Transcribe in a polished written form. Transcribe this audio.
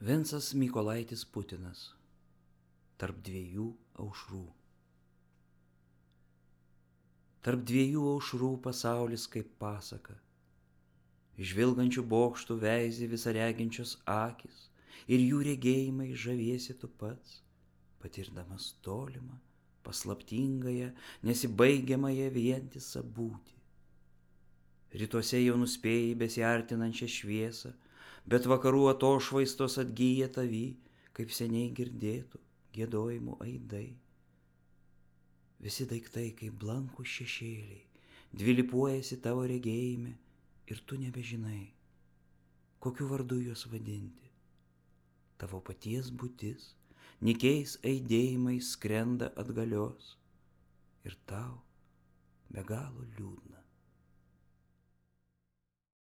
Vincas Mykolaitis Putinas. Tarp dviejų aušrų. Tarp dviejų aušrų pasaulis kaip pasaka. Žvilgančių bokštų veizė visareginčios akys, ir jų regėjimai žaviesi tu pats, patirdamas tolimą, paslaptingąją, nesibaigiamąją vientisą būtį. Rytuose jau nuspėjai besiartinančią šviesą, bet vakarų atošvaistos atgyja tavy, kaip seniai girdėtų giedojimų aidai. Visi daiktai kaip blankūs šešėliai, dvilypuojasi tavo regėjime ir tu nebežinai, kokiu vardu juos vadinti. Tavo paties būtis, nykiais aidėjimais skrenda atgalios ir tau be galo liūdna.